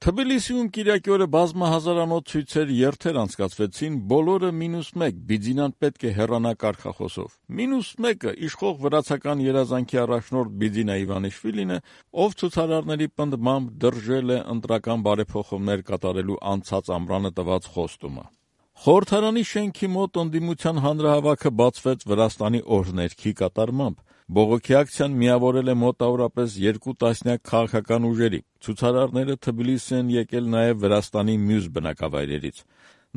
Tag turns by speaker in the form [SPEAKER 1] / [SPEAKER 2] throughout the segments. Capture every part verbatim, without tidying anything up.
[SPEAKER 1] Թբիլիսիում կիրակի օրը բազմահազարանոց ցույցեր երթեր անցկացվեցին, բոլորը մինուս մեկ, Բիձինան պետք է հեռանա կարգախոսով։ Մինուս մեկը իշխող վրացական երազանքի առաջնորդ Բիձինա Իվանիշվիլին է, ով ցուցարարների պնդմամբ դրժել է ընտրական բարեփոխումներ կատարելու անցած ամռանը տված խոստումը։ Խորհրդարանի շենքի մոտ ընդդիմության հանրահավաքը բացվեց Վրաստանի օրհներգի կատարմամբ։ Բողոքի ակցիան միավորել է մոտավորապես երկու տասնյակ քաղաքական ուժերի։ Ցուցարարները Թբիլիսի են եկել նաև Վրաստանի մյուս բնակավայրերից։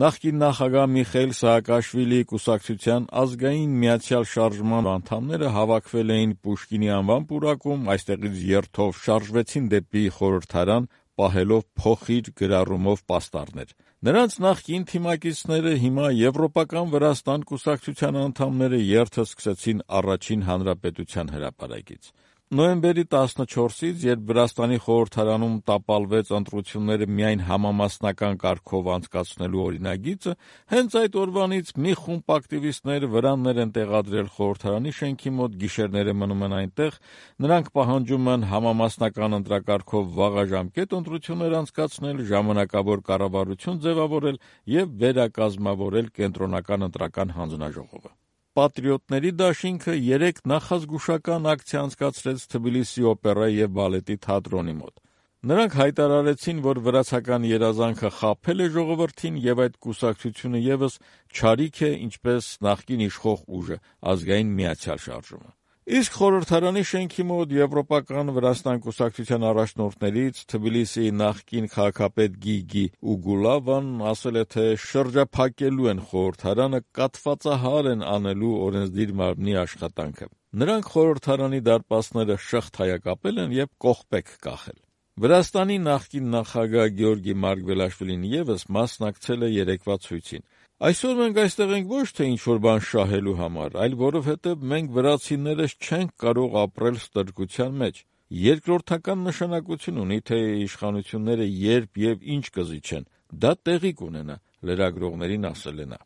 [SPEAKER 1] Նախկին նախագահ Միխայիլ Սաակաշվիլիի կուսակցության ազգային միացյալ շարժման անդամները հավաքվել էին Պուշկինի անվան պուրակում, այստեղից երթով շարժվեցին դեպի խորհրդարան, պահելով փոխիր գրառումով պաստառներ։ Նրանց նախկին թիմակիցները, հիմա Եվրոպական Վրաստան կուսակցության անդամները երթը սկսեցին Առաջին հանրապետության հրապարակից։ Նոյեմբերի տասնչորսից, երբ Վրաստանի խորհրդարանում տապալվեց ընտրությունները միայն համամասնական կարգով անցկացնելու օրինագիծը, հենց այդ օրվանից մի խումբ ակտիվիստներ վրաններ են տեղադրել խորհրդարանի շենքի մոտ, գիշերները մնում են այնտեղ, նրանք պահանջում են համամասնական ընտրակարգով վաղաժամկետ ընտրություններ անցկացնել, ժամանակավոր կառավարություն ձևավորել և վերակազմավորել կենտրոնական ընտրական հանձնաժողովը։ Պատրիոտների դաշինքը երեկ նախազգուշական ակցիա անցկացրեց Թբիլիսի օպերայի և բալետի թատրոնի մոտ։ Նրանք հայտարարեցին, որ վրացական երազանքը խաբել է ժողովրդին և այդ կուսակցությունը ևս չարիք է, ինչպես նախկին իշխող ուժը՝ Ազգային միացյալ շարժումը։ Իսկ խորհրդարանի շենքի մոտ Եվրոպական Վրաստան կուսակցության առաջնորդներից Թբիլիսիի նախկին քաղաքապետ Գիգի Ուգուլավան ասել է, թե շրջափակելու են խորհրդարանը, կաթվածահար են անելու օրենսդիր մարմնի աշխատանքը։ Նրանք խորհրդարանի դարպասները շղթայակապել են և կողպեք կախել։ Վրաստանի նախկին նախագահ Գեորգի Մարգվելաշվիլին ևս մասնակցել է երեկվա ցույցին։ Այսօր մենք այստեղ ենք ոչ թե ինչ-որ բան շահելու համար, այլ որովհետև մենք վրացիներս չենք կարող ապրել ստրկության մեջ։ Երկրորդական նշանակություն ունի, թե իշխանությունները երբ և ինչ կզիջեն, դա տեղի կունենա, լրագրողներին ասել է նա։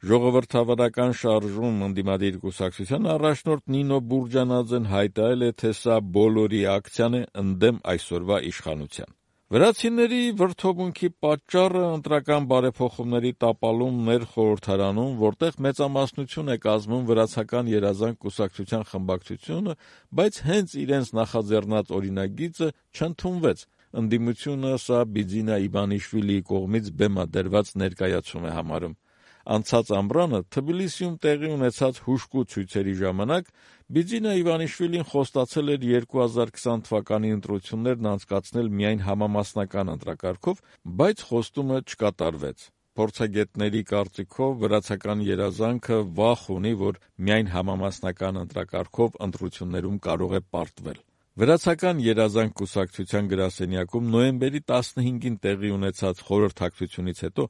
[SPEAKER 1] Ժողովրդավարական շարժում ընդդիմադիր կուսակցության առաջնորդ Նինո Բուրջանաձեն հայտարարել է, թե սա բոլորի ակցիան է ընդդեմ այսօրվա իշխանության։ Վրացիների վրդովմունքի պատճառը ընտրական բարեփոխումների տապալումն էր խորհրդարանում, որտեղ մեծամասնություն է կազմում Վրացական երազանք կուսակցության խմբակցությունը, բայց հենց իրենց նախաձեռնած օրինագիծը չընդունվեց։ Ընդդիմությունը սա Բիձինա Իվանիշվիլիի կողմից բեմադրված ներկայացում է համարում։ Անցած ամռանը Թբիլիսիում տեղի ունեցած հուժկու ցույցերի ժամանակ Բիձինա Իվանիշվիլին խոստացել էր երկու հազար քսան թվականի ընտրություններն անցկացնել միայն համամասնական ընտրակարգով, բայց խոստումը չկատարվեց։ Փորձագետների կարծիքով վրացական երազանքը վախ ունի, որ միայն համամասնական ընտրակարգով ընտրություններում կարող է պարտվել։ Վրացական երազանք կուսակցության գրասենյակում նոյեմբերի տասնհինգին տեղի ունեցած խորհրդակցությունից հետո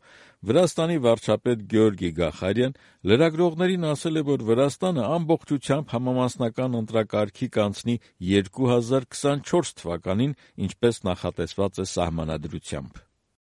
[SPEAKER 1] Վրաստանի վարչապետ Գեորգի Գախարյան լրագրողներին ասել է, որ Վրաստանը ամբողջությամբ համամասնական ընտրակարգի կանցնի երկու հազար քսանչորս թվականին, ինչպես նախատեսված է սահմանադրությամբ։